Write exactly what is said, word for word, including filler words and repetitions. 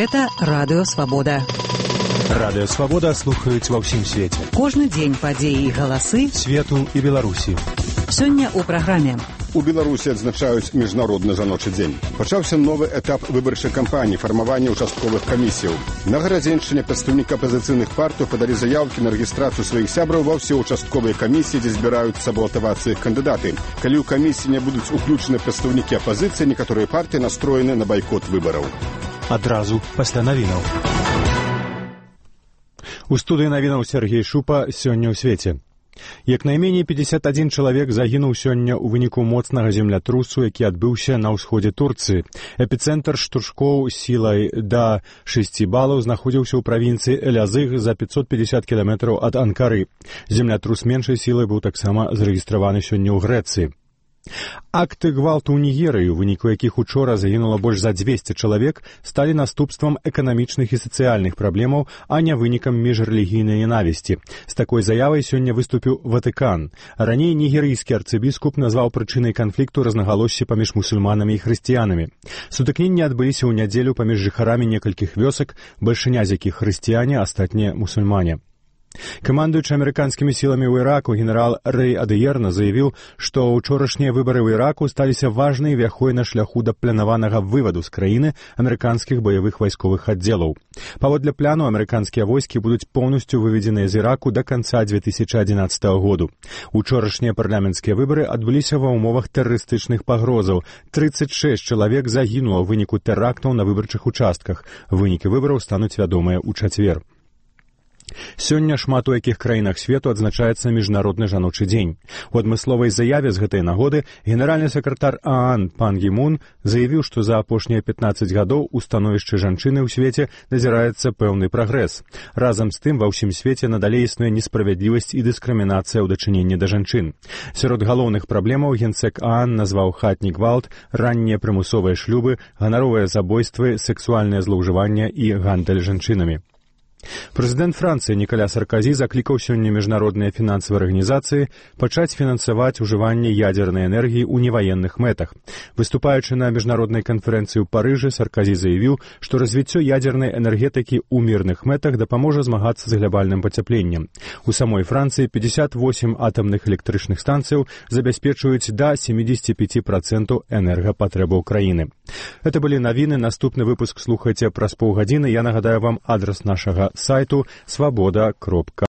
Гэта Радыё Свабода. Радыё Свабода слухаюць ва ўсім свеце. Кожны дзень падзеі і галасы свету і Беларусі. Сёння ў праграме. У Беларусі адзначаюць міжнародны жаночы дзень. Пачаўся новы этап выбарчай кампаніі фармавання ўчастковых камісіяў. На Гарадзеншчыне прадстаўнікі апазіцыйных партый падалі заяўкі на рэгістрацыю сваіх сябраў ва ўсе ўчастковыя камісіі, дзе збіраюцца балатавацца іх кандыдаты. Калі ў камісіі не будуць уключаны прадстаўнікі апазіцыі, некаторыя партыі настроены на байкот выбараў. Адразу пасля навінаў. У студыі навінаў Сергей Шупа сёння ў свеце. Як найменей пятьдесят один чалавек загінуў сёння ў выніку моцнага землятрусу, які адбыўся на ўсходзе Турцыі. Эпіцэнтр штуршкоў сілай да шасці балаў знаходзіўся ў правінцыі Элязыг за пятьсот пятьдесят кіламетраў ад Анкары. Землятрус меншай сілы быў таксама зарэгістраваны сёння ў Грэцыі. Акты гвалту ў Нігерыі, у выніку якіх учора загінула больш за дзвесце чалавек, сталі наступствам эканамічных і сацыяльных праблемаў, а не вынікам міжрэлігійнай ненавісці. З такой заявай сёння выступіў Ватыкан. Раней нігерыйскі арцыбіскуп назваў прычынай канфлікту рознагалоссі паміж мусульманамі і хрысціянамі. Сутыкненні адбыліся ў нядзелю паміж жыхарамі некалькіх вёсак, бальшыня з якіх хрысціяне, астатнія мусульмане. Камандуючы амерыканскімі сіламі ў Іраку генерал Рэй Адыерна заявіў, што ўчорашнія выбары ў Іраку сталіся важнай вяхой на шляху да планаванага вываду з краіны амерыканскіх баявых вайсковых аддзелаў. Паводле пляну, амерыканскія войскі будуць поўнасцю выведзеныя з Іраку да канца две тысячи адзінаццатага году. Учорашнія парламенцкія выбары адбыліся ва ўмовах тэрарыстычных пагрозаў. тридцать шесть чалавек загінула ў выніку тэрактаў на выбарчых участках. Вынікі выбараў стануць вядомыя ў чацвер. Сёння шмат у якіх краінах свету адзначаецца міжнародны жаночы дзень. У адмысловай заяве з гэтай нагоды генеральны сакратар ААН Пан Гі Мун заявіў, што за апошнія пятнаццаць гадоў у становішчы жанчыны ў свеце назіраецца пэўны прагрэс. Разам з тым ва ўсім свеце надалей існуе несправядлівасць і дыскрымінацыя ў дачыненні да жанчын. Сярод галоўных праблемаў генсек ААН назваў хатні гвалт, раннія прымусовыя шлюбы, ганаровыя забойствы, сэксуальнае злоўжыванне і гандаль жанчынамі. Прэзідэнт Францыі Нікаля Сарказі заклікаў сёння міжнародныя фінансавыя арганізацыі пачаць фінансаваць ужыванне ядзернай энергіі ў неваенных мэтах. Выступаючы на міжнароднай канферэнцыі ў Парыжы, Сарказі заявіў, што развіццё ядзернай энергетыкі ў мірных мэтах дапаможа змагацца з глабальным пацяпленнем. У самой Францыі пятьдесят восемь атамных электрычных станцыяў забяспечваюць да семьдесят пять процентов энергапатрэбаў краіны. Гэта былі навіны, наступны выпуск слухайце праз паўгадзіны. Я нагадаю вам адрас нашага сайту свобода кропка